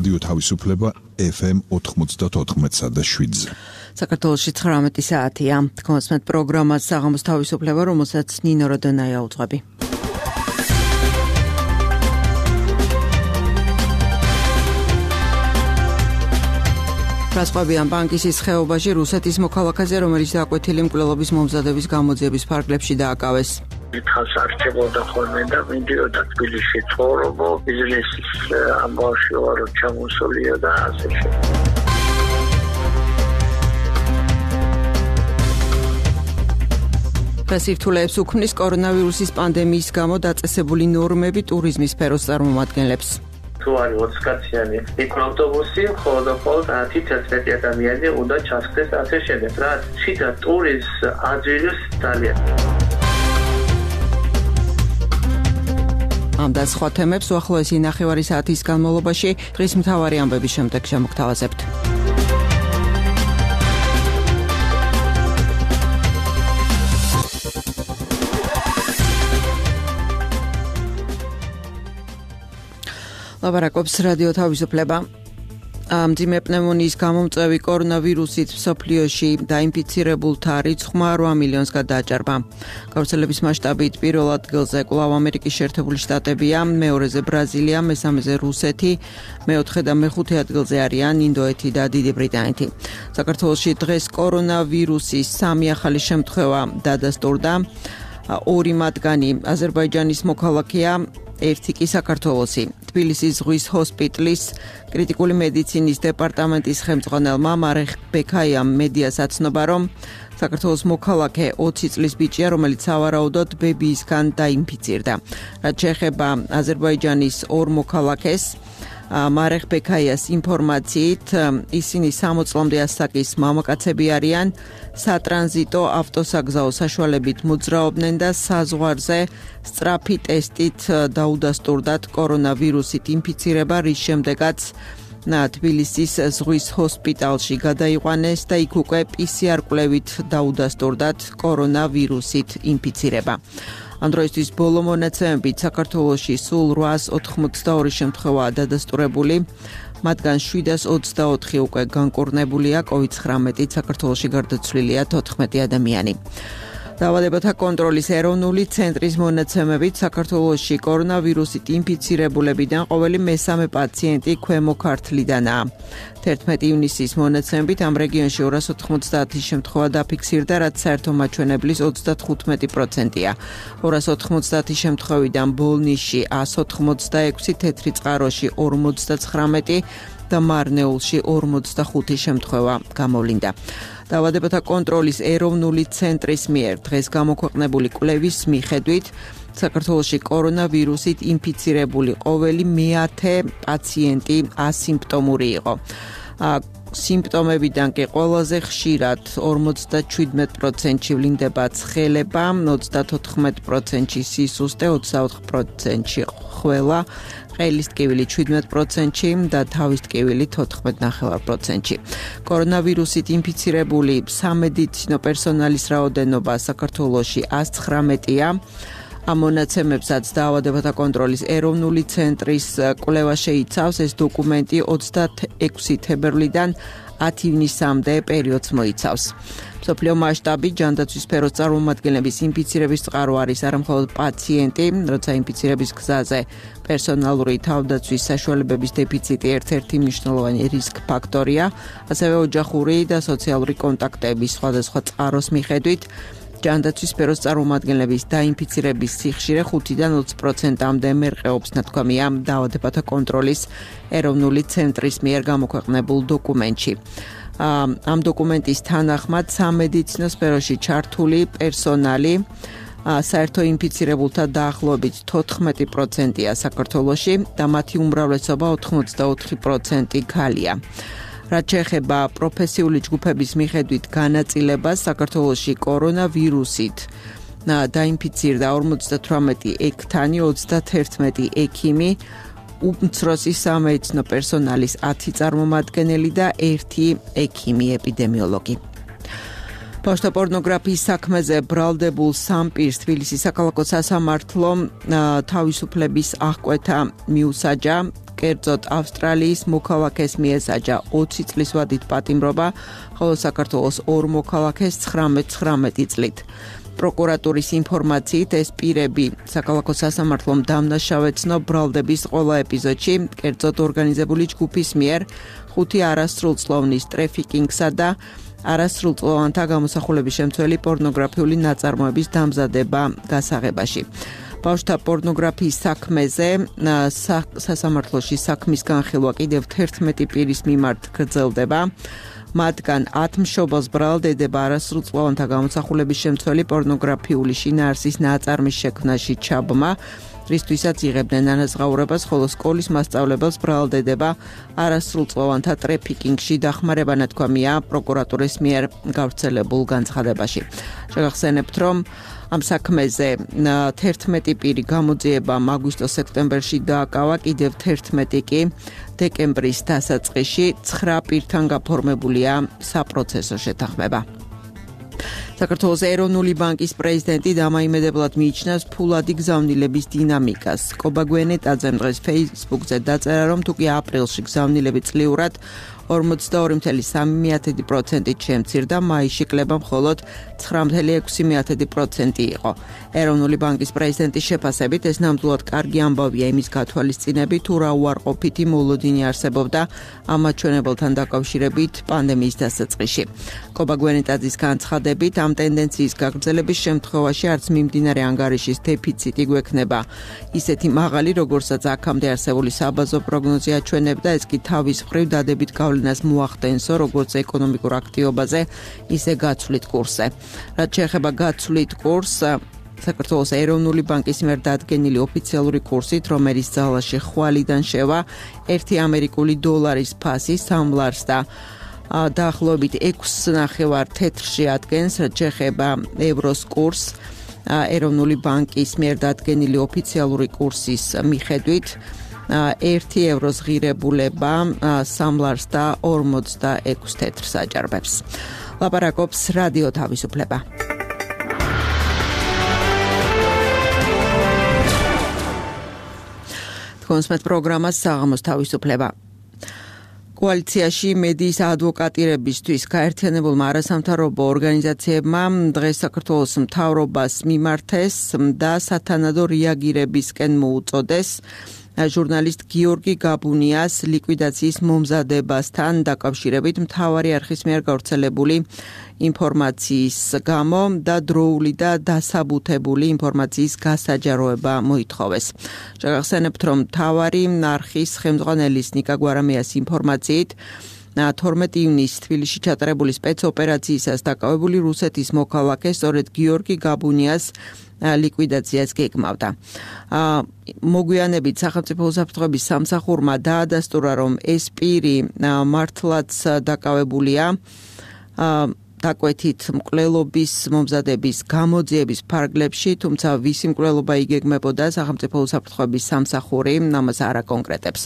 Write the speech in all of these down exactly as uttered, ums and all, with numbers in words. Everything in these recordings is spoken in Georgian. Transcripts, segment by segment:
რადიო თავისუფლება ეფ ემ ოთხმოცდაოთხ და შვიდზე. საქართველოში ცხრამეტი საათია. თქვენსმეთ პროგრამას საღამოს თავისუფლება, რომელსაც ნინო როდონაია უძღვები. რასყვებიან ბანკისის ხეობაში რუსეთის მოქალაქეზე, რომელიც დაკვეთილი მკვლელობის მომზადების გამოძიების ფარგლებში დააკავეს. დიდხანს არჩებოდა ხოლმე და მიდიოდა თბილისში ცხოვრობო, ბიზნესის ამბავში ვარო ჩამოსულიო და ასე შემდეგ. პრესირთულეებს უქმნის კორონავირუსის პანდემიის გამო დაწესებული ნორმები ტურიზმის სფეროს წარმომადგენლებს. თუ არის ოცკაციანი მიკროავტობუსი, მხოლოდ მხოლოდ ათი ადამიანი უნდა ჩასხდეს ასე შემდეგ, რაც შიდა ტურიზმს აძვირებს ძალიან. ამ და სხვა თემებს უახლოესი ნახევარი საათის განმავლობაში დღის მთავარი ამბების შემდეგ შემოგთავაზებთ. ლაბარაკობს რადიო თავისუფლება. მძიმე პნევმონიის გამომწვევი კორონავირუსით მსოფლიოში დაინფიცირებულთა რიცხვმა რვა მილიონს გადააჭარბა. გავრცელების მასშტაბით პირველ ადგილზე კვლავ ამერიკის შეერთებული შტატებია, მეორეზე ბრაზილია, მესამეზე რუსეთი, მეოთხე და მეხუთე ადგილზე არიან ინდოეთი და დიდი ბრიტანეთი. საქართველოში დღეს კორონავირუსის სამი ახალი შემთხვევა დადასტურდა. ორი მათგანი აზერბაიჯანის მოქალაქეა, ერთი კი საქართველოსი. თბილისის ზღვის ჰოსპიტალის კრიტიკული მედიცინის დეპარტამენტის ხელმძღვანელმა მარეხ ბექაიამ მედიას აცნობა, რომ საქართველოს მოქალაქე ოცი წლის ბიჭია, რომელიც სავარაუდოდ ბებიისგან დაინფიცირდა. რაც შეეხება აზერბაიჯანის ორ მოქალაქეს, მარეხ ბექაიას ინფორმაციით, ისინი სამოც წლამდე ასაკის მამაკაცები არიან, სატრანზიტო ავტოსაგზაო საშუალებით მოძრაობდნენ და საზღვარზე სწრაფი ტესტით დაუდასტურდათ კორონავირუსით ინფიცირება, რის შემდეგაც თბილისის ზღვის ჰოსპიტალში გადაიყვანეს და იქ უკვე პი სი არ კვლევით დაუდასტურდათ კორონავირუსით ინფიცირება. ამ დროისთვის ბოლო მონაცემებით საქართველოში სულ რვაას ოთხმოცდაორი შემთხვევაა დადასტურებული, მათგან შვიდას ოცდაოთხი უკვე განკურნებულია, კოვიდ ცხრამეტით საქართველოში გარდაცვლილია თოთხმეტი ადამიანი. დაავადებათა კონტროლის ეროვნული ცენტრის მონაცემებით საქართველოში კორონავირუსით ინფიცირებულებიდან ყოველი მესამე პაციენტი ქვემო ქართლიდანაა. თერთმეტი ივნისის მონაცემებით ამ რეგიონში ორას ოთხმოცდაათი შემთხვევა დაფიქსირდა, რაც საერთო მაჩვენებლის ოცდათხუთმეტი პროცენტია. ორას ოთხმოცდაათი შემთხვევიდან ბოლნისში ას ოთხმოცდაექვსი, თეთრიწყაროში ორმოცდაცხრამეტი და მარნეულში ორმოცდახუთი შემთხვევა გამოვლინდა. დაავადებათა კონტროლის ეროვნული ცენტრის მიერ დღეს გამოქვეყნებული კვლევის მიხედვით საქართველოში კორონავირუსით ინფიცირებული ყოველი მეათე პაციენტი ასიმპტომური იყო. სიმპტომებიდან კი ყველაზე ხშირად ორმოცდაშვიდმეტ პროცენტში ვლინდება ცხელება, ოცდათოთხმეტ პროცენტში სისუსტე, ოცდაოთხ პროცენტში ხველა, ყელის ტკივილი შვიდმეტ პროცენტში და თავის ტკივილი თოთხმეტ ნახევარ პროცენტში. კორონავირუსით ინფიცირებული სამედიცინო პერსონალის რაოდენობა საქართველოში ას ცხრამეტია. ამ მონაცემებსაც დაავადებათა კონტროლის ეროვნული ცენტრის კვლევა შეიცავს. ეს დოკუმენტი ოცდაექვსი თებერვლიდან ათი ივნისამდე პერიოდს მოიცავს. მსოფლიო მასშტაბით ჯანდაცვის სფეროს წარმომადგენლების ინფიცირების წყარო არის არამხოლოდ პაციენტი, როცა ინფიცირების გზაზე პერსონალური თავდაცვის საშუალებების დეფიციტი ერთ-ერთი მნიშვნელოვანი რისკ ფაქტორია, ასევე ოჯახური და სოციალური კონტაქტების სხვადასხვა წყაროს მიხედვით ჯანდაცვის სფეროს წარმომადგენლების დაინფიცირების სიხშირე ხუთიდან ოცი პროცენტამდე მერყეობს, ნათქვამია დაავადებათა კონტროლის ეროვნული ცენტრის მიერ გამოქვეყნებულ დოკუმენტში. ამ დოკუმენტის თანახმად სამედიცინო სფეროში ჩართული პერსონალი საერთო ინფიცირებულთა დაახლოებით თოთხმეტი პროცენტია საქართველოში და მათი უმრავლესობა ოთხმოცდაოთხი პროცენტი ქალია. რაც შეეხება პროფესიული ჯგუფების მიხედვით განაწილებას, საქართველოში კორონავირუსით დაინფიცირდა ორმოცდათვრამეტი ექთანი, ოცდათერთმეტი ექიმი, უმცროსი სამედიცინო პერსონალის ათი წარმომადგენელი და ერთი ექიმი ეპიდემიოლოგი. ბავშვთა პორნოგრაფიის საქმეზე ბრალდებულ სამ პირს თბილისის საქალაქო სასამართლომ თავისუფლების აღკვეთა მიუსაჯა. კერძოდ ავსტრალიის მოქალაქეს მიესაჯა ოცი წლის ვადით პატიმრობა, ხოლო საქართველოს ორ მოქალაქეს ცხრამეტ წლით. პროკურატურის ინფორმაციით ეს პირები საქალაქო სასამართლომ დამნაშავეცნო ბრალდების ყველა ეპიზოდში, კერძოდ ორგანიზებული ჯგუფის მიერ ხუთი არასრულწლოვნის ტრეფიკინგსა და არასრულწლოვანთა გამოსახულების შემცველი პორნოგრაფიული ნაწარმოების დამზადება გასაღებაში. ბავშვთა პორნოგრაფიის საქმეზე სასამართლოში საქმის განხილვა კიდევ თერთმეტი პირის მიმართ გრძელდება. მათგან ათ მშობელს ბრალდება არასრულწლოვანთა გამოსახულების შემცველი პორნოგრაფიული შინაარსის ნაწარმის შექმნაში ჩაბმა, რისთვისაც იღებდნენ ანაზღაურებას, ხოლო სკოლის მასწავლებელს ბრალდება არასრულწლოვანთა ტრეფიკინგში დახმარება ნათქვამია პროკურატურის მიერ გავრცელებულ განცხადებაში. შეგახსენებთ, რომ ამ საქმეზე თერთმეტი პირი გამოძიებამ აგვისტო-სექტემბერში დააკავა, კიდევ თერთმეტი კი დეკემბრის დასაწყისში ცხრა პირთან გაფორმებულია საპროცესო შეთანხმება. საქართველოს ეროვნული ბანკის პრეზიდენტი დამაიმედებლად მიიჩნევს ფულადი გზავნილების დინამიკას. კობა გვენეტაძემ დღეს Facebook-ზე დაწერა, რომ თუკი აპრილში გზავნილები წლიურად ორმოცდაორი წუთი სამი პროცენტით შემცირდა, მაისში კლება მხოლოდ ცხრა წუთი ექვსი პროცენტი იყო. ეროვნული ბანკის პრეზიდენტის შეფასებით ეს ნამდვილად კარგი ამბავია იმის გათვალისწინებით, თუ რა უარყოფითი მოლოდინი არსებობდა ამ მაჩვენებელთან დაკავშირებით პანდემიის დასაწყისში. კობა გვენეტაძის განცხადებით, ამ ტენდენციის გაგრძელების შემთხვევაში არც მიმდინარე ანგარიშის დეფიციტი გვექნება ისეთი მაღალი, როგორცაც აქამდე არსებული საბაზო პროგნოზი აჩვენებდა, ეს კი თავის მხრივ დადებით გავლენას მოახდენსო, როგორც ეკონომიკურ აქტივობაზე, ისე გაცვლით კურსზე. რაც შეეხება გაცვლით კურსს, საქართველოს ეროვნული ბანკის მიერ დადგენილი ოფიციალური კურსით, რომელიც ძალაში ხვალიდან შევა, ერთი ამერიკული დოლარის ფასი სამ ლარს და დაახლოებით ექვსი ნახევარ თეთრში ადგენს, რაც შეეხება ევროს კურსს, ეროვნული ბანკის მიერ დადგენილი ოფიციალური კურსის მიხედვით, ერთი ევროს ღირებულება სამ ლარს და ორმოცდაექვსი თეთრს აჭარბებს. ლაპარაკობს რადიო თავისუფლება. კონსმეთ პროგრამას საღამოს თავისუფლება. კოალიციაში მედიის ადვოკატირებისთვის გაერთიანებულმა არასამთავრობო ორგანიზაციებმა დღეს საქართველოს მთავრობას მიმართეს და სათანადო რეაგირებისკენ მოუწოდეს ჟურნალისტ გიორგი გაბუნიას ლიკვიდაციის მომზადებასთან დაკავშირებით მთავარი არხის მიერ გავრცელებული ინფორმაციის გამო და დროული და დასაბუთებული ინფორმაციის გასაჯაროება მოითხოვეს. შეგახსენებთ, რომ მთავარი არხის ხელმძღვანელის ნიკა გვარამიას ინფორმაციით თორმეტი ივნისს თბილისში ჩატარებული სპეცოპერაციისას დაკავებული რუსეთის მოქალაქე სწორედ გიორგი გაბუნიას ლიკვიდაციას გეგმავდა. მოგვიანებით სახელმწიფო უსაფრთხოების სამსახურმა დაადასტურა, რომ ეს პირი მართლაც დაკავებულია დაკვეთით მკვლელობის მომზადების გამოძიების ფარგლებში, თუმცა ვისი მკვლელობა იგეგმებოდა სახელმწიფო უსაფრთხოების სამსახური ამას არ აკონკრეტებს.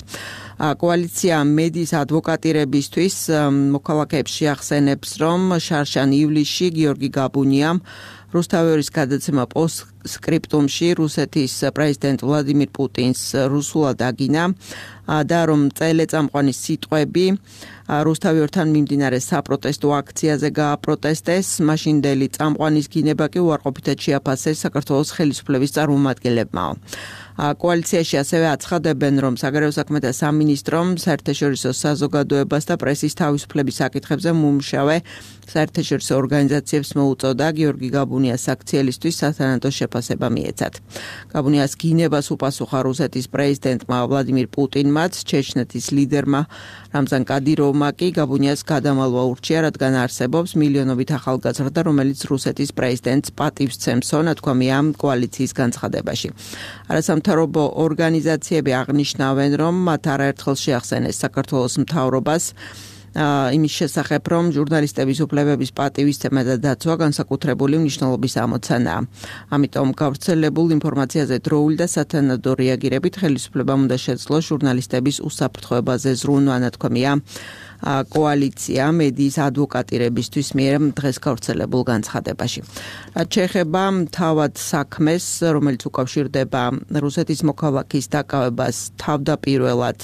კოალიცია მედიის ადვოკატირებისთვის მოქალაქეებს შეახსენებს, რომ შარშან ივლისში გიორგი გაბუნიამ რუსთავის გადაცემა პოსტსკრიპტუმში რუსეთის პრეზიდენტ ვლადიმირ პუტინს რუსულად აგინა და რომ წელეწამყვანის სიტყვები რუსთავთან მიმდინარე საპროტესტო აქციაზე გააპროტესტეს, მაშინდელი წამყვანის გინება კი უარყოფითად შეაფასეს საქართველოს ხელისუფლების წარმომადგენლებმა. კოალიციაში ასევე აცხადებენ, რომ საგარეო საქმეთა სამინისტრომ საერთაშორისო საზოგადოებას და პრესის თავისუფლების საკითხებზე მომუშავე საერთაშორისო ორგანიზაციებს მოუწოდა გიორგი გაბუნიას აქციელისთვის სათანადო შეფასება მიეცათ. გაბუნიას გინებას უპასუხა რუსეთის პრეზიდენტმა ვლადიმირ პუტინმაც, ჩეჩნეთის ლიდერმა რამზან კადიროვმა კი გაბუნიას გადამალვა ურჩია, რადგან არსებობს მილიონობით ახალგაზრდა, რომელიც რუსეთის პრეზიდენტს პატივს ცემსო, ნათქვამია კოალიციის განცხადებაში. არასამთავრობო ორგანიზაციები აღნიშნავენ, რომ მათ არაერთხელ შეახსენეს საქართველოს მთავრობას იმის შესახებ, რომ ჟურნალისტების უფლებების პატივისცემა და დაცვა განსაკუთრებული მნიშვნელობის ამოცანაა. ამიტომ გავრცელებულ ინფორმაციაზე დროული და სათანადო რეაგირებით ხელისუფლებამ უნდა შეძლოს ჟურნალისტების უსაფრთხოებაზე ზრუნვა, ნათქვამია კოალიცია მედიის ადვოკატირებისთვის მიერ დღეს გავრცელებულ განცხადებაში. რაც შეეხება თავად საქმეს, რომელიც უკავშირდება რუსეთის მოქალაქის დაკავებას თავდაპირველად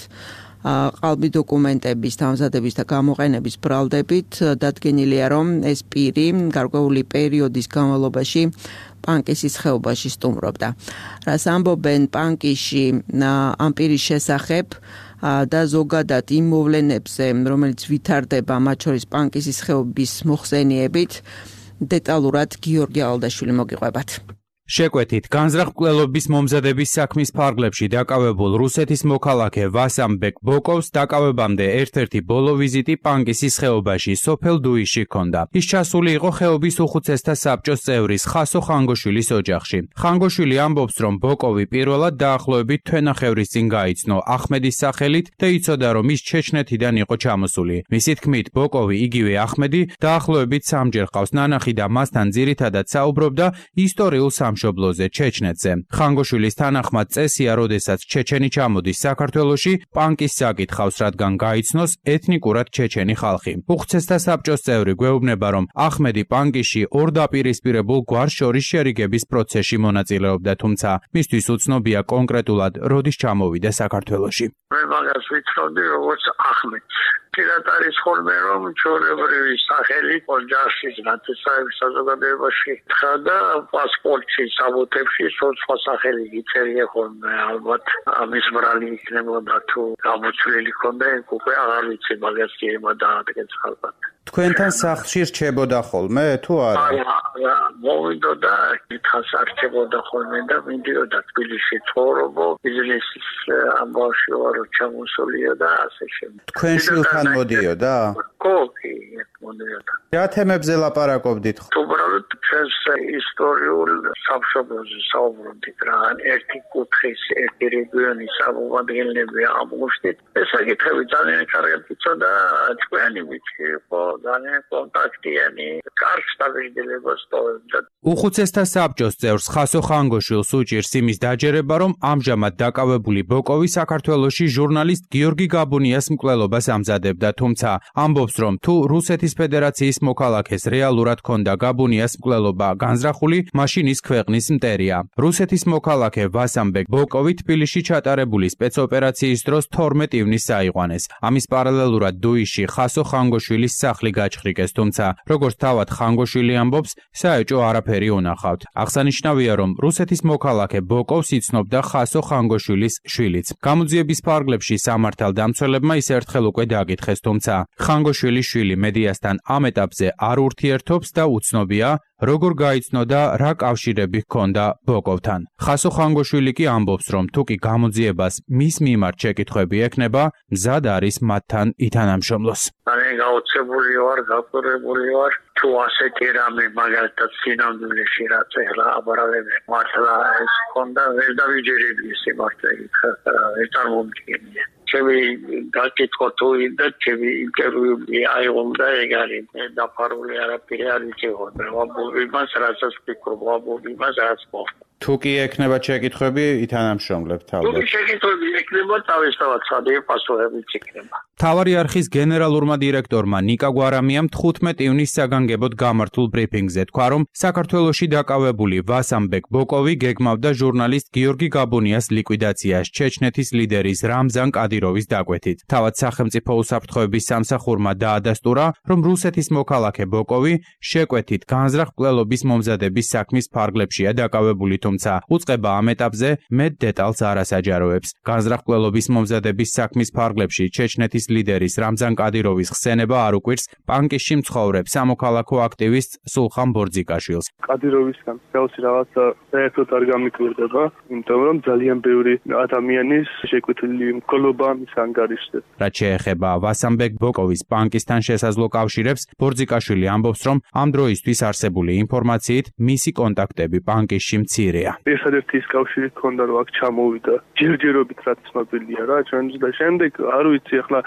ყალბი დოკუმენტების დამზადების და გამოყენების ბრალდებით, დადგენილია, რომ ეს პირი გარკვეული პერიოდის განმავლობაში პანკისის ხეობაში სტუმრობდა. რაც ამბობენ პანკისში ამ პირის შესახებ და ზოგადად იმ მოვლენებზე, რომელიც ვითარდება მათ შორის პანკისის ხეობის მოხსენიებით, დეტალურად გიორგი ალდაშვილი მოგიყვებათ. შეკვეთით განზრახ-მკვლელობის მომზადების საქმის ფარგლებში დაკავებულ რუსეთის მოქალაქე ვასამბეკ ბოკოვს დაკავებამდე ერთ-ერთი ბოლო ვიზიტი პანკისის ხეობაში სოფელ დუიში ჰქონდა. ის ჩასული იყო ხეობის უხუცესთა საბჭოს წევრის ხასო ხანგოშვილის ოჯახში. ხანგოშვილი ამბობს, რომ ბოკოვი პირველად დაახლოებით თვენახევრის წინ გაიცნო ახმედის სახელით და იცოდა, რომ ის ჩეჩნეთიდან იყო ჩამოსული. მისი თქმით, ბოკოვი, იგივე ახმედი, დაახლოებით სამჯერ ყავს ნანახი და მასთან ძირითადად საუბრობდა ისტორიულ სამშობლოზე ჩეჩნეთზე. ხანგოშვილის თანახმად წესია, როდესაც ჩეჩენი ჩამოდის საქართველოში, პანკის საკითხავს, რადგან გაიცნოს ეთნიკურად ჩეჩენი ხალხი. უხუცესთა საბჭოს წევრი გვეუბნება, რომ ახმედი პანკისში ორ დაპირისპირებულ გვარს შორის შერიგების პროცესში მონაწილეობდა, თუმცა მისთვის უცნობია კონკრეტულად როდის ჩამოვიდა საქართველოში. მე მაგას ვიცნობდი როგორც ახმედს. პირად არის ხოლმე, რომ ჩვეულებრივი სახელი ოჯახში, ნათესაების საზოგადოებაში თხა და პასპორტში, საბუთებში სხვა სახელი იწერია ხოლმე. ალბათ ამის ბრალი იქნებოდა თუ გამოცვლილი ქონდა, უკვე აღარ ვიცი მაგას კი ემა დაადგეს ალბათ. თქვენთან სახლში რჩებოდა ხოლმე თუ არა? არა, მოვიდოდა, კითხავს არჩებოდა ხოლმე და მიდიოდა თბილისში ცხოვრობო, ბიზნესის ამბავში ვარ ჩამოსულია და ასე შემდეგ. თქვენ შვილთან მოდიოდა? ხო, კი, მოდიოდა. რა თემებზე ლაპარაკობდით? უბრალოდ ჩვენს ისტორიულ სამშობლოზე საუბრობდით რა, ერთი კუთხის, ერთი რეგიონის აღმომადგენლები ამოვშთით. ეს საკითხები ძალიან კარგად იცოდა, თქვენი ვიცი იყო ძალიან კონტაქტიანი, კარგ სტაბილიზებას ტოვებდა. უხუცესთა საბჭოს წევრს ხასო ხანგოშვილს უჭირს იმის დაჯერება, რომ ამჟამად დაკავებული ბოკოვი საქართველოში ჟურნალისტ გიორგი გაბუნიას მკვლელობას ამზადებდა, თუმცა ამბობს, რომ თუ რუსეთის ფედერაციის მოქალაქეს რეალურად ჰქონდა გაბუნიას მკვლელობა განზრახული, მაშინ ის ქვეყნის მტერია. რუსეთის მოქალაქე ვასამბეკ ბოკოვი თბილისში ჩატარებული სპეცოპერაციის დროს თორმეტ ივნისს აიყვანეს. ამის პარალელურად დუიში ხასო ხანგოშვილის სახლი გაჩხრიკეს, თუმცა როგორც თავად ხანგოშვილი ამბობს, საეჭო არაფერი უნახავთ. აღსანიშნავია, რომ რუსეთის მოქალაქე ბოკოვს იცნობდა ხასო ხანგოშვილის შვილიც. გამოძიების ფარგლებში სამართალ დამცველებმა ის ერთხელ უკვე დაკითხეს, თუმცა ხანგოშვილის შვილი მედიასთან ამ ეტაპზე არ ურთიერთობს და უცნობია, როგორ გაიცნო და რა კავშირები ჰქონდა ბოკოვთან. ხასო ხანგოშვილი კი ამბობს, რომ თუკი გამოძიებას მის მიმართ შეკითხვები ექნება, მზად არის მათთან ითანამშრომლოს. ძალიან გაოცებული ვარ, გაფრთხილებული ვარ, თუ ასეთი რამე მაგალითად სინამდვილეში რაც ეხლა აბარალები მართლა ეს ჰქონდა, ვერ დავიჯერები ეს მართლა ვერ წარმომიდგენია. ჩემი გაკითხვა თუ და ჩემი ინტერვიუ აიღონდა ეგ არის დაფარული არაფერი არ იცევა ვაბობებას რასაც ვფიქრობ ვაბობებას რაც მოხდა. თუ კი ექნება შეკითხვები ითანამშრომლებთ ალბათ. თუ შეკითხვები ექნება თავისთავად სადი პასუხებიც იქნება. მთავარი არხის გენერალურმა დირექტორმა ნიკა გვარამიამ თხუთმეტ ივნისს საგანგებოდ გამართულ ბრიფინგზე თქვა, რომ საქართველოში დაკავებული ვასამბეკ ბოკოვი გეგმავდა ჟურნალისტ გიორგი გაბუნიას ლიკვიდაციას ჩეჩნეთის ლიდერის რამზან კადიროვის დაკვეთით. თავად სახელმწიფო უსაფრთხოების სამსახურმა დაადასტურა, რომ რუსეთის მოქალაქე ბოკოვი შეკვეთით განზრახ-მკვლელობის მომზადების საქმის ფარგლებშია დაკავებული, თუმცა უწყება ამ ეტაპზე მეტ დეტალს არ ასაჯაროებს. განზრახ-მკვლელობის მომზადების საქმის ფარგლებში ჩეჩნეთის ლიდერის რამზან კადიროვის ხსენება არ უკვირს პანკისში მცხოვრებ სამოქალაქო აქტივისტ სულხან ბორძიკაშვილს. კადიროვისგან მსგავსი რაღაცა საერთოდ არ გამიკვირდება, იმიტომ რომ ძალიან ბევრი ადამიანის შეკვეთილი მკვლობა მის ანგარიშზე. რაც შეეხება ვასამბეკ ბოკოვის პანკისთან შესაძლო კავშირებს, ბორძიკაშვილი ამბობს, რომ ამ დროისთვის არსებული ინფორმაციით მისი კონტაქტები პანკისში მცირეა. ერთადერთი ის კავშირი ჰქონდა, რომ აქ ჩამოვიდა ჯერჯერობით რაც ცნობილია რა, ჩვენს და შემდეგ არ ვიცი ახლა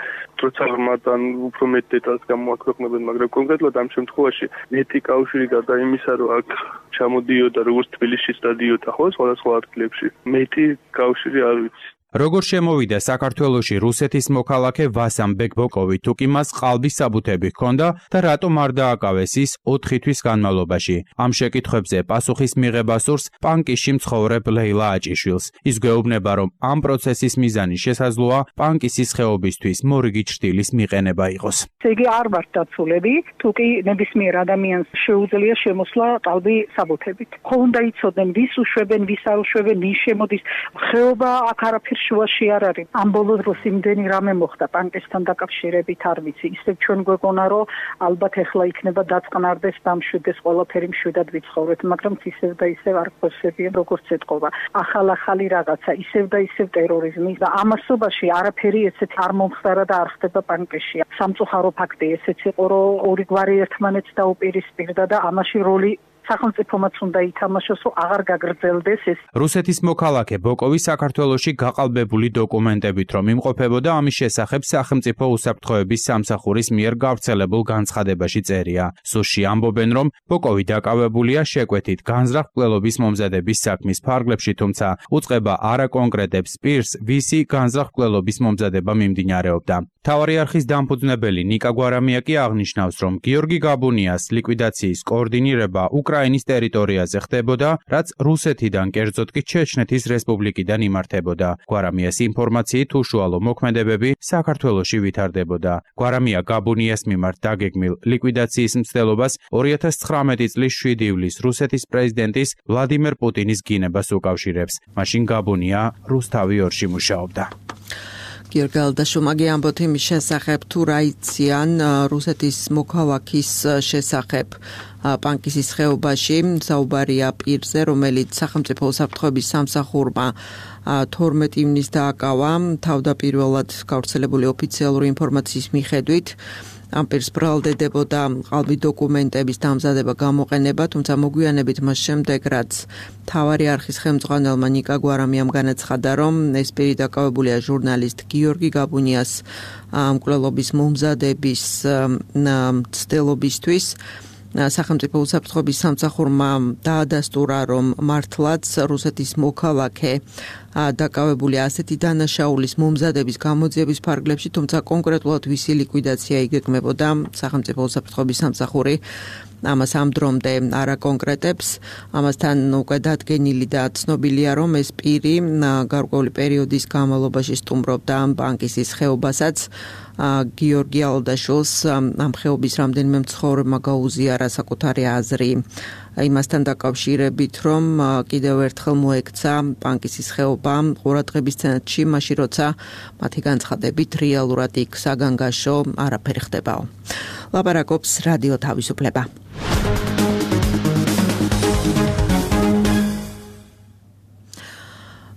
როცა მათთან უფრო მეტ დეტალს გამოაქვეყნებენ, მაგრამ კონკრეტულად ამ შემთხვევაში მეტი კავშირი გარდა იმისა, რომ აქ ჩამოდიოდა როგორც თბილისში სტადიოდა ხო სხვადასხვა ადგილებში, მეტი კავშირი არ ვიცი. როგორ შემოვიდა საქართველოში რუსეთის მოქალაქე ვასამ ბეკბოკოვი, თუ კი მას ყალბის საბუთები ჰქონდა და რატომ არ დააკავეს ის ოთხი თვის განმავლობაში? ამ შეკითხვებზე პასუხის მიღება სურს პანკისში მცხოვრებ ლეილა აჭიშვილს. ის გვეუბნება, რომ ამ პროცესის მიზანი შესაძლოა პანკისის ხეობისთვის მორიგი ჩრდილის მიყენება იყოს. იგი არ ვართ დაცულები, თუ კი ნებისმიერ ადამიანს შეუძლია შემოსვლა ყალბი საბუთებით. ხო უნდა იცოდნენ, ვის უშვებენ, ვის არ უშვებენ, ვის შემოდის. ხეობა აქ არაფერ შუაში არ არის. ამ ბოლო დროს იმდენი რამე მოხდა პანკისთან დაკავშირებით არ ვიცი. ისევ ჩვენ გვეგონა, რომ ალბათ ეხლა იქნება დაწყნარდეს, დამშვიდეს, ყველაფერი მშვიდად ვიცხოვრეთ, მაგრამ ისევ და ისევ არ გხოსებიან როგორც ეთყობა. ახალ-ახალი რაღაცა, ისევ და ისევ ტერორიზმი და ამასობაში არაფერი ესეთი არ მომხდარა და არ ხდება პანკისში. სამწუხარო ფაქტი ესეც იყო, რომ ორი გვარი ერთმანეთს დაუპირისპირდა და ამაში როლი სახელმწიფომაც უნდა ითამაშოს, რომ აღარ გაგრძელდეს ეს. რუსეთის მოქალაქე ბოკოვი საქართველოში გაყალბებული დოკუმენტებით რომ იმყოფებოდა, ამის შესახებ სახელმწიფო უსაფრთხოების სამსახურის მიერ გავრცელებულ განცხადებაში წერია. სუსში ამბობენ, რომ ბოკოვი დაკავებულია შეკვეთით განზრახ მკვლელობის მომზადების საქმის ფარგლებში, თუმცა უწყება არ აკონკრეტებს პირს, ვისი განზრახ მკვლელობის მომზადება მიმდინარეობდა. მთავარი არხის დამფუძნებელი ნიკა გვარამია კი აღნიშნავს, რომ გიორგი გაბუნიას ლიკვიდაციის კოორდინირება უკრაინის ტერიტორიაზე ხდებოდა, რაც რუსეთიდან, კერძოდ კი ჩეჩნეთის რესპუბლიკიდან იმართებოდა. გვარამიას ინფორმაციით უშუალო მოქმედებები საქართველოში ვითარდებოდა. გვარამია გაბუნიას მიმართ დაგეგმილ ლიკვიდაციის მცდელობას ორი ათას ცხრამეტი წლის შვიდი ივლისს რუსეთის პრეზიდენტის ვლადიმერ პუტინის გინებას უკავშირებს. მაშინ გაბუნია რუსთავი ორში მუშაობდა. გიორგი ალდაშუმაგი ამბობთ იმის შესახებ, თუ რა იციან რუსეთის მოქალაქის შესახებ პანკისის ხეობაში. საუბარია პირზე, რომელიც სახელმწიფო უსაფრთხოების სამსახურმა თორმეტი ივნისს დააკავა. თავდაპირველად გავრცელებული ოფიციალური ინფორმაციის მიხედვით ამ პირს ბრალდებოდა ყალბი დოკუმენტების დამზადება, გამოყენება, თუმცა მოგვიანებით მას შემდეგ, რაც მთავარი არხის ხელმძღვანელმა ნიკა გვარამიამ განაცხადა, რომ ეს პირი დაკავებულია ჟურნალისტ გიორგი გაბუნიას მკვლელობის მომზადების მცდელობისთვის. სახელმწიფო უსაფრთხოების სამსახურმა დაადასტურა, რომ მართლაც რუსეთის მოქალაქე დაკავებულია ასეთი დანაშაულის მომზადების გამოძიების ფარგლებში, თუმცა კონკრეტულად ვისი ლიკვიდაცია იგეგმებოდა, სახელმწიფო უსაფრთხოების სამსახური ამას ამ დრომდე არ აკონკრეტებს. ამასთან უკვე დადგენილი და ცნობილია, რომ ეს პირი გარკვეული პერიოდის განმავლობაში სტუმრობდა პანკისის ხეობასაც. გიორგი ალდაშვილს ამ ხეობის რამდენიმე მცხოვრებმა გაუზიარა საკუთარი აზრი იმასთან დაკავშირებით, რომ კიდევ ერთხელ მოექცა პანკისის ხეობა ყურადღების ცენტრში, მაშინ როცა მათი განცხადებით რეალურად იქ საგანგაშო არაფერი ხდებაო. ლაპარაკობს რადიო თავისუფლება.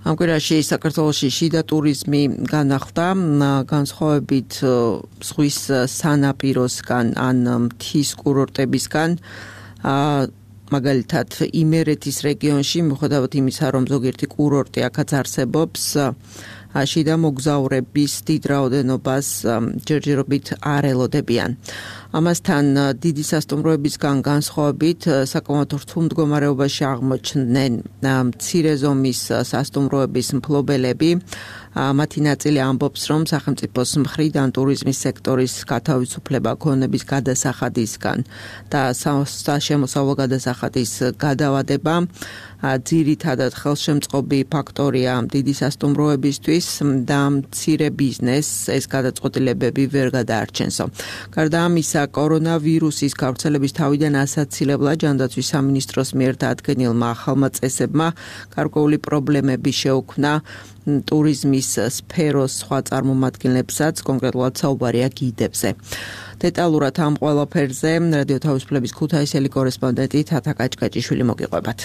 ამ კვირაში საქართველოში შიდა ტურიზმი განახლდა, განსხვავებით ზღვის სანაპიროსგან ან მთის კურორტებისგან. მაგალითად იმერეთის რეგიონში, მიუხედავად იმისა, რომ ზოგიერთი კურორტი აქაც არსებობს, შიდა მოგზაურების დიდ რაოდენობას ჯერჯერობით არ ელოდებიან. ამასთან დიდი სასტუმროებისგან განსხვავებით საკმაოდ რთულ მდგომარეობაში აღმოჩნდნენ მცირე ზომის სასტუმროების მფლობელები. მათი ნაწილი ამბობს, რომ სახელმწიფოს მხრიდან ტურიზმის სექტორის გათავისუფლება ქონების გადასახადისგან და სამოსავლო გადასახადის გადავადება ძირითადად ხელშემწყობი ფაქტორია დიდი სასტუმროებისთვის და მცირე ბიზნესს ეს გადაწყვეტილებები ვერ გადაარჩენსო. გარდა ამისა, კორონავირუსის გავრცელების თავიდან ასაცილებლად ჯანდაცვის სამინისტროს მიერ დადგენილმა ახალმა წესებმა გარკვეული პრობლემები შეუქმნა ტურიზმის სფეროს სხვა წარმომადგენლებსაც, კონკრეტულად საუბარია გიდებზე. დეტალურად ამ ყველაფერზე რადიო თავისუფლების ქუთაისელი კორესპონდენტი თათა კაჭკაჭიშვილი მოგიყვებათ.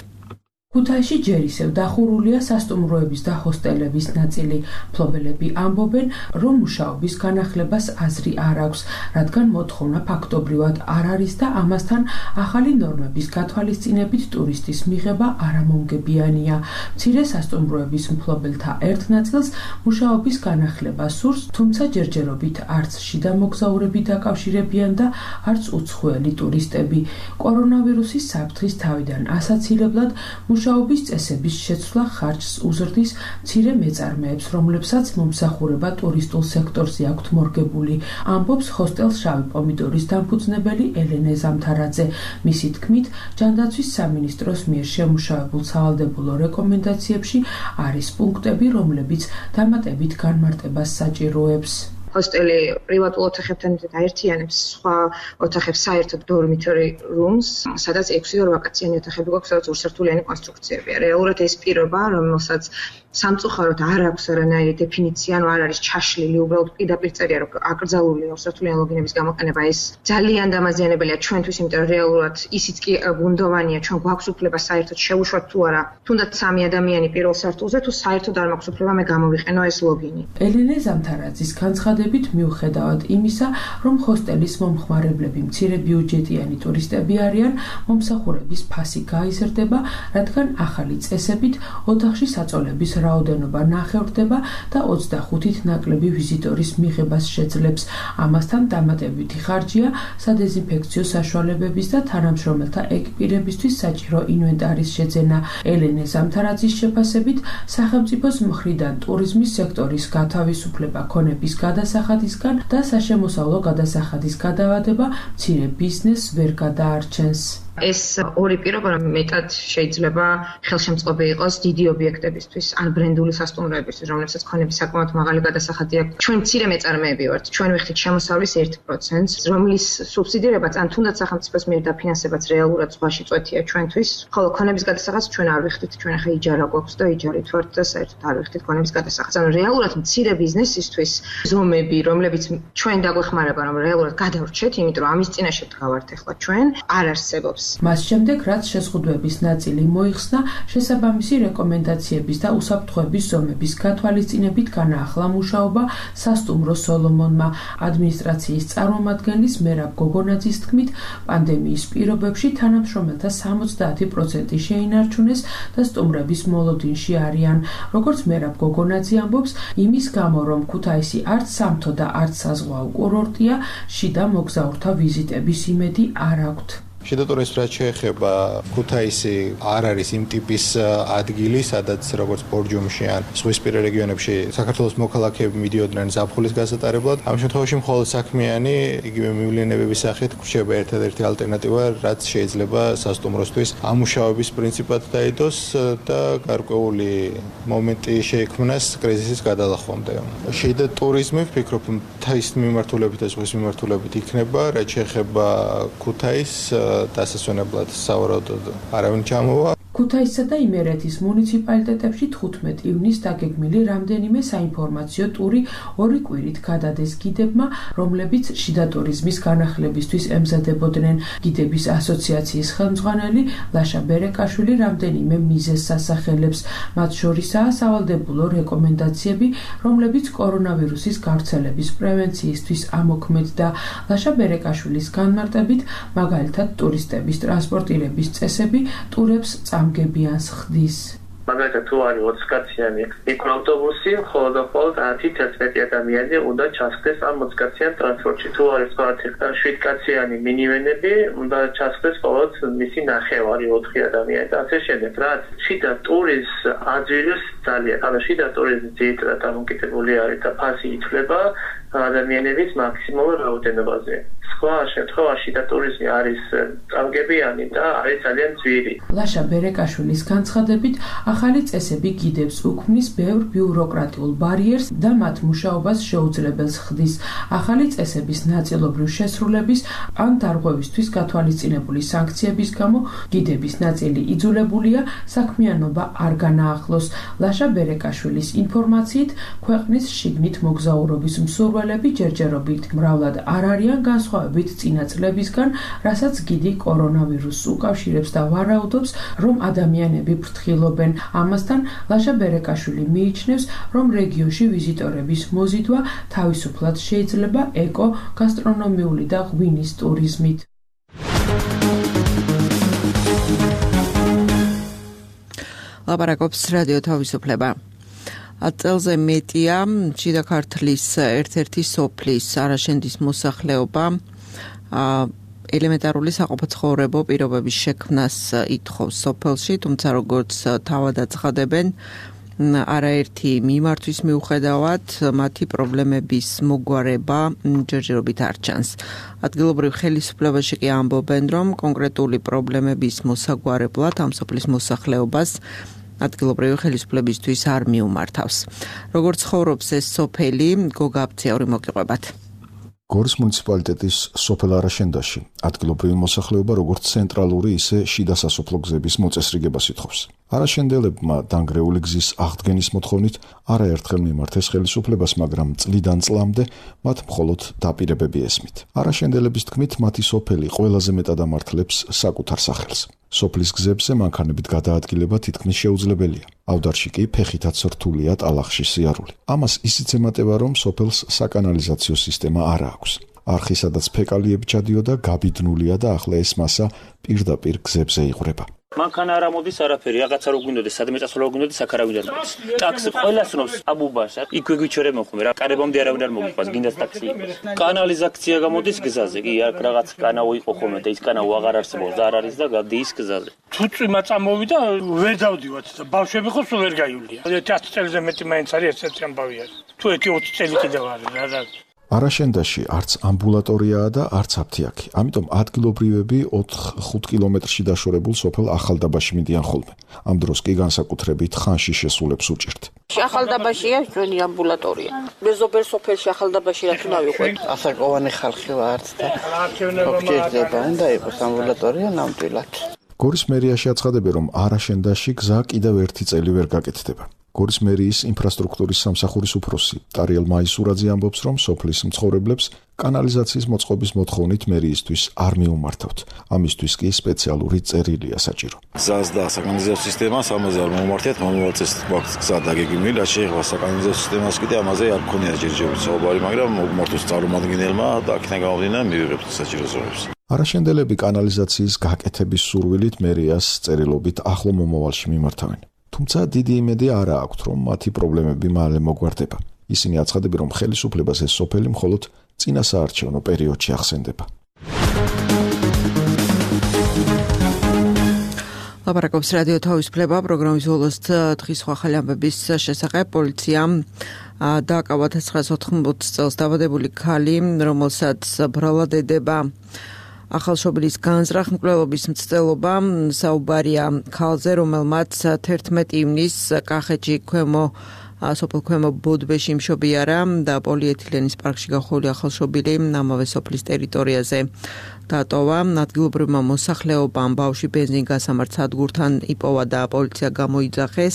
ქუთაისში ჯერ ისევ დახურულია სასტუმროების და ჰოსტელების ნაწილი. მფლობელები ამბობენ, რომ მუშაობის განახლებას აზრი არ აქვს, რადგან მოთხოვნა ფაქტობრივად არ არის და ამასთან ახალი ნორმების გათვალისწინებით ტურისტის მიღება არამომგებიანია. მცირე სასტუმროების მფლობელთა ერთ ნაწილს მუშაობის განახლება სურს, თუმცა ჯერჯერობით არც შიდა მოგზაურები დაკავშირებიან და არც უცხოელი ტურისტები. კორონავირუსის საფრთხის თავიდან ასაცილებლად მუშაობის წესების შეცვლა ხარჯს უზრდის მცირე მეწარმეებს, რომლებსაც მომსახურება ტურისტულ სექტორზე აქვთ მორგებული, ამბობს ჰოსტელ შავი პომიდორის დამფუძნებელი ელენე ზამთარაძე. მისი თქმით, ჯანდაცვის სამინისტროს მიერ შემუშავებულ სავალდებულო რეკომენდაციებში არის პუნქტები, რომლებიც დამატებით განმარტებას საჭიროებს. ჰოსტელი პრივატულ ოთახებთან აერთიანებს სხვა ოთახებს საერთოდ dormitory rooms, სადაც ექვსი ვაკაციანი ოთახები გვაქვს, სადაც ორსართულიანი კონსტრუქციებია. რეალურად ეს პირობა, რომელსაც სამწუხაროდ არ აქვს არანაირი დეფინიცია, ანუ არ არის ჩაშლილი, უბრალოდ პირდაპირ წერია, რომ აკრძალული ორსართულიანი ლოგინების გამოყენება ეს ძალიან დამაზიანებელია ჩვენთვის, იმიტომ რომ რეალურად ისიც კი გუნდოვანია, ჩვენ გვაქვს უფლება საერთოდ შევუშვათ თუ არა, თუნდაც სამი ადამიანი პირველ სართულზე, თუ საერთოდ არ მაქვს უფლება მე გამოვიყენო ეს ლოგინი. ელენე ზამთარაძის განცხადებით მიუხედავად იმისა, რომ ჰოსტელის მომხმარებლები მცირე ბიუჯეტიანი ტურისტები არიან, მომსახურების ფასი გაიზრდება, რადგან ახალი წესებით ოთახში საწოლების რაოდენობა ნახევრდება და ოცდახუთით ნაკლები ვიზიტორის მიღებას შეძლებს. ამასთან დამატებითი ხარჯია სადეზინფექციო საშუალებების და თანამშრომელთა ეკიპირებისთვის საჭირო ინვენტარის შეძენა. ელენე ზამთარაძის შეფასებით, სახელმწიფოს მხრიდან ტურიზმის სექტორის გათავისუფლება ქონების გადასახადისგან და საშემოსავლო გადასახადის გადავადება მცირე ბიზნესს ვერ გადაარჩენს. ეს ორი პირობა მეტად შეიძლება ხელშემწყობი იყოს დიდი ობიექტებისთვის, ან ბრენდული სასტუმროებისთვის, რომლებსაც ქონების საკმაოდ მაღალი გადასახადი აქვს. ჩვენ მცირე მეწარმეები ვართ, ჩვენ ვიხდით შემოსავლის ერთ პროცენტს, რომლის სუბსიდირებაც ან თუნდაც სახელმწიფოს მიერ დაფინანსებაც რეალურად ზღვაში წვეთია ჩვენთვის, ხოლო ქონების გადასახადს ჩვენ არ ვიხდით, ჩვენ ახლა იჯარა გვაქვს და იჯარით ვართ და საერთოდ არ ვიხდით ქონების გადასახადს. ანუ რეალურად მცირე ბიზნესისთვის ზომები, რომლებიც ჩვენ დაგვეხმარება, რომ რეალურად გადავრჩეთ, იმიტომ რომ ამის წინაშე დგავართ ახლა ჩვენ, არ არსებობს. მას შემდეგ, რაც შეზღუდვების ნაწილი მოიხსნა, შესაბამისი რეკომენდაციების და უსაფრთხოების ზომების გათვალისწინებით განაახლა მუშაობა სასტუმრო სოლომონმა. ადმინისტრაციის წარმომადგენლის მერაბ გოგონაძის თქმით, პანდემიის პირობებში თანამშრომელთა სამოცდაათი პროცენტი შეინარჩუნეს და სტუმრების მოლოდინში არიან. როგორც მერაბ გოგონაძე ამბობს, იმის გამო, რომ ქუთაისი არც სამთო და არც საზღვაო კურორტია, შიდა მოგზაურთა ვიზიტების იმედი არ აქვთ. შიდა ტურიზმს რაც შეეხება, ქუთაისი არ არის იმ ტიპის ადგილი, სადაც როგორც ბორჯომში ან ზღვისპირა რეგიონებში საქართველოს მოქალაქეები მიდიოდნენ ზაფხულის გასატარებლად. ამ შემთხვევაში მხოლოდ საქმიანი იგივე მივლინებების სახით რჩება ერთადერთი ალტერნატივა, რაც შეიძლება სასტუმროსთვის ამუშავების პრინციპად დაიდოს და გარკვეული მომენტი შეიქმნას კრიზისის გადალახვამდე. შიდა ტურიზმი ვფიქრობ, თაის მიმართულებით და ზღვის მიმართულებით იქნება, რაც შეეხება ქუთაისს დასასვენებლად სავარაუდოდ არავინ ჩამოვა. ქუთაისსა და იმერეთის მუნიციპალიტეტებში თხუთმეტი ივნის დაგეგმილი რამდენიმე საინფორმაციო ტური ორი კვირით გადადეს გიდებმა, რომლებიც შიდა ტურიზმის განახლებისთვის ემზადებოდნენ. გიდების ასოციაციის ხელმძღვანელი ლაშა ბერეკაშვილი რამდენიმე მიზეზს ასახელებს. მათ შორისაა სავალდებულო რეკომენდაციები, რომლებიც კორონავირუსის გავრცელების პრევენციისთვის ამოქმედდა. ლაშა ბერეკაშვილის განმარტებით, მაგალითად ტურისტების ტრანსპორტირების წესები ტურებს ამგებიანს ხდის. მაგალითად თუ არის ოცკაციანი მიკროავტობუსი, ხოლო და მხოლოდ ათი-თერთმეტი ადამიანი უნდა ჩასხდეს ამ ოცკაციან ტრანსპორტში. თუ არის თქვა შვიდკაციანი მინივენები, უნდა ჩასხდეს მხოლოდ მისი ნახევარი ოთხი ადამიანი და ასე შემდეგ. რაც შიდა ტურიზმს აძვირებს ძალიან. ანუ შიდა ტურიზმი ძირითადად დამოკიდებული არის და ფასი ითვლება ადამიანების მაქსიმალურ რაოდენობაზე. სხვა შემთხვევაში და ტურიზმი არის წამგებიანი და არის ძალიან ძვირი. ლაშა ბერეკაშვილის განცხადებით, ახალი წესები გიდებს უქმნის ბევრ ბიუროკრატიულ ბარიერს და მათ მუშაობას შეუძლებელს ხდის. ახალი წესების ნაწილობრივ შესრულების ან დარღვევისთვის გათვალისწინებული სანქციების გამო გიდების ნაწილი იძულებულია საქმიანობა არ განაახლოს. ლაშა ბერეკაშვილის ინფორმაციით, ქვეყნის შიგნით მოგზაურობის მსურველები ჯერჯერობით მრავლად არ არიან განსხვავებით წინა წლებისგან, რასაც გიდი კორონავირუსს უკავშირებს და ვარაუდობს, რომ ადამიანები ფრთხილობენ. ამასთან ლაშა ბერეკაშვილი მიიჩნევს, რომ რეგიონში ვიზიტორების მოზიდვა თავისუფლად შეიძლება ეკო, გასტრონომიული და ღვინის ტურიზმით. ლაპარაკობს რადიო თავისუფლება. აწელზე მეტია შიდა ქართლის ერთ-ერთი სოფლის არაშენდის მოსახლეობა ელემენტარული საყოფაცხოვრებო პირობების შექმნას ითხოვს სოფელში, თუმცა როგორც თავად აცხადებენ, არაერთი მიმართვის მიუხედავად მათი პრობლემების მოგვარება ჯერჯერობით არ ჩანს. ადგილობრივ ხელისუფლებაში კი ამბობენ, რომ კონკრეტული პრობლემების მოსაგვარებლად ამ სოფლის მოსახლეობას ადგილობრივი ხელისუფლებისთვის არ მიუმართავს. როგორც ცხოვრობს ეს სოფელი, გოგა აბციური მოგიყვებათ. გორის მუნიციპალიტეტის სოფელ არაშენდაში ადგილობრივი მოსახლეობა როგორც ცენტრალური, ისე შიდა სასოფლო გზების მოწესრიგებას ითხოვს. არაშენდელებმა დანგრეული გზის აღდგენის მოთხოვნით არაერთხელ მიმართეს ხელისუფლებას, მაგრამ წლიდან წლამდე მათ მხოლოდ დაპირებები ესმით. არაშენდელების თქმით, მათი სოფელი ყველაზე მეტად ამართლებს საკუთარ სახელს. სოფლის გზებზე მანქანებით გადაადგილება თითქმის შეუძლებელია. ავდარში კი ფეხითაც რთულია ტალახში სიარული. ამას ისიც ემატება, რომ სოფელს საკანალიზაციო სისტემა არ აქვს. არხი, სადაც ფეკალიები ჩადიოდა, გაბიდნულია და ახლა ეს მასა პირდაპირ გზებზე იღვრება. მანქანა არ ამოდის არაფერი, რაღაცა რო გვინდოდეს, სადმე წასვლა რო გვინდოდეს, აქ არ ავიდარ მოდის. ტაქსი ყველას ნობს აბუბას, იქვე გვიჩერე მოხმე რა, კარებამდე არავინ არ მოგიყვას, გინდას ტაქსი იყოს. კანალიზაცია გამოდის გზაზე, კი აქ რაღაც კანაო იყო ხოლმე და ის კანაო აღარ არსებობს და არ არის და გადის გზაზე. თუ წვიმა წამოვიდა, ვერ დავდივართ და ბავშვები ხო სულ ვერ გაივლია. ათი წელზე მეტი მაინც არის ესეთი ამბავი არის. თუ ერთი ოცი წელი კიდევ არის რა რა. არაშენდაში არც ამბულატორიაა და არც აფთიაქი. ამიტომ ადგილობრივები ოთხ-ხუთ კილომეტრში დაშორებულ სოფელ ახალდაბაში მიდიან ხოლმე. ამ დროს კი განსაკუთრებით ხანში შესულებს უჭირთ. ახალდაბაშია ჩვენი ამბულატორია. მეზობელ სოფელში ახალდაბაში რა თქმა ვიყვეთ. ასაკოვანი ხალხი ვართ და გჭირდება და იყოს ამბულატორია ნამდვილად. გორის მერიაში აცხადებენ, რომ არაშენდაში გზა კიდევ ერთი წელი ვერ გაკეთდება. გორის მერიის ინფრასტრუქტურის სამსახურის უფროსი ტარიელ მაისურაძე ამბობს, რომ სოფლის მცხოვრებლებს კანალიზაციის მოწყობის მოთხოვნით მერიისთვის არ მიუმართავთ. ამისთვის კი სპეციალური წერილია საჭირო. გზას და საკანალიზაციო სისტემას ამაზე არ მომმართეთ, მომავალწეს გვაქვს გზა დაგეგმილი, რაც შეეხება საკანალიზაციო სისტემას კიდე ამაზე არ გქონია ჯერჯერობით საუბარი, მაგრამ მოგმართოს წარმომადგენელმა და აქედან გამომდინარე მივიღებთ საჭირო ზომებს. არაშენდელები კანალიზაციის გაკეთების სურვილით მერიას წერილობით ახლო მომავალში მიმართავენ. თუმცა დიდი იმედი არ აქვთ, რომ მათი პრობლემები მალე მოგვარდება. ისინი აცხადებენ, რომ ხელისუფლებას ეს სოფელი მხოლოდ წინა საარჩევნო პერიოდში ახსენდება. ლაპარაკობს რადიო თავისუფლება პროგრამის ბოლოს დღის სხვა ახალი ამბების შესახებ. პოლიციამ დააკავა ცხრაას ოთხმოცდაოთხ წელს დაბადებული ქალი, რომელსაც ბრალად ედება ახალშობილის განზრახ მკვლელობის მცდელობა. საუბარია ქალზე, რომელმაც თერთმეტი ივნის კახეთში ქვემო სოფელ ქვემო ბოდბეში მშობიარა და პოლიეთილენის პარკში გახვეული ახალშობილი ამავე სოფლის ტერიტორიაზე დატოვა. ადგილობრივმა მოსახლეობამ ბავშვი ბენზინგასამართ სადგურთან იპოვა და პოლიცია გამოიძახეს.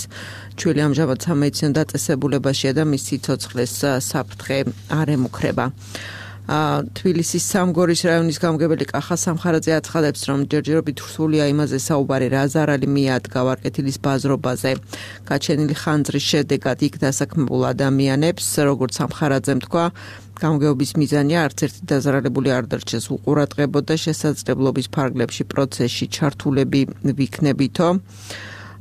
ჩვილი ამჟამად სამედიცინო დაწესებულებაშია და მის სიცოცხლეს საფრთხე არ ემუქრება. თბილისის სამგორის რაიონის გამგებელი კახა სამხარაძე აცხადებს, რომ ჯერჯერობით რთულია იმაზე საუბარი, რა ზარალი მიადგა ვარკეთილის ბაზრობაზე. გაჩენილი ხანძრის შედეგად იქ დასაქმებულ ადამიანებს, როგორც სამხარაძემ თქვა, გამგეობის მიზანია არც ერთი დაზარალებული არ დარჩეს, უყურადღებოდა შესაძლებლობის ფარგლებში პროცესში ჩართულები ვიქნებითო.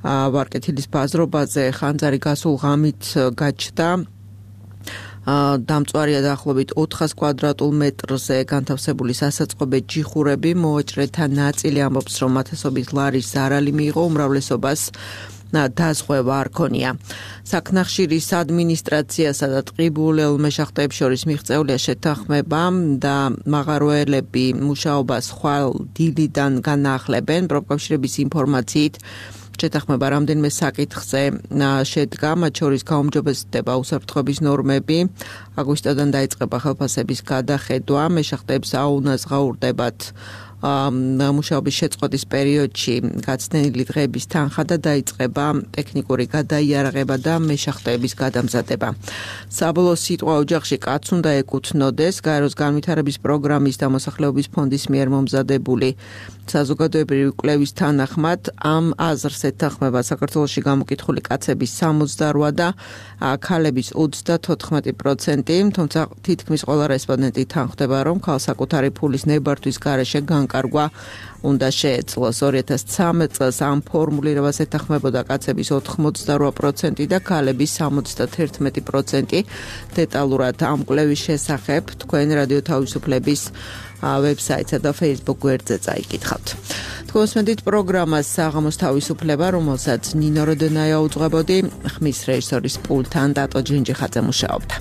ვარკეთილის ბაზრობაზე ხანძარი გასულ ღამით გაჩნდა. დამწვარია დაახლოებით ოთხას კვადრატულ მეტრზე განთავსებული სასაწყობე ჯიხურები. მოვაჭრეთა ნაწილი ამბობს, რომ ათასობით ლარის ზარალი მიიღო, უმრავლესობას დაზღვევა არ ქონია. საქნახშირის ადმინისტრაციასა და ტყიბულელ მეშახტეებს შორის მიღწეულია შეთანხმება და მაღაროელები მუშაობას ხვალ დილიდან განაახლებენ. პროფკავშირების ინფორმაციით შეთანხმება რამდენიმე საკითხზე შედგა, მათ შორის გაუმჯობესდება უსაფრთხოების ნორმები. აგვისტოდან დაიწყება ხელფასების გადახედვა, მეშახტეებს აუნას გაურდებათ მუშაობის შეწყვეტის პერიოდში გაცდენილი დღეების თანხა და დაიწყება ტექნიკური გადაიარაღება და მეშახტეების გადამზადება. საბოლოო სიტყვა ოჯახში კაცს უნდა ეკუთვნოდეს. გაეროს განვითარების პროგრამის და მოსახლეობის ფონდის მიერ მომზადებული საზოგადოებრივი კვლევის თანახმად ამ აზრს ეთანხმება საქართველოში გამოკითხული კაცების სამოცდაოთხ და ქალების ოცდათოთხმეტი პროცენტი, თუმცა თითქმის ყველა რესპონდენტი თანხმდება, რომ ქალს საკუთარი ფულის ნებართვის გარეშე განკარგვა უნდა შეეძლოს. ორი ათას ცხრამეტ წელს ამ ფორმულირებას ეთანხმებოდა კაცების ოთხმოცდარვა პროცენტი და ქალების სამოცდაერთმეტი პროცენტი. დეტალურად ამ კვლევის შესახებ თქვენ რადიო თავისუფლების ვებსაიტსა და Facebook გვერდზე წაიკითხავთ. თქვენსმენდით პროგრამას საღამოს თავისუფლება, რომელსაც ნინო როდენაია უძღვებოდი, ხმის რეჟისორის პულტთან დატო ჯინჯიხაძე მუშაობდა.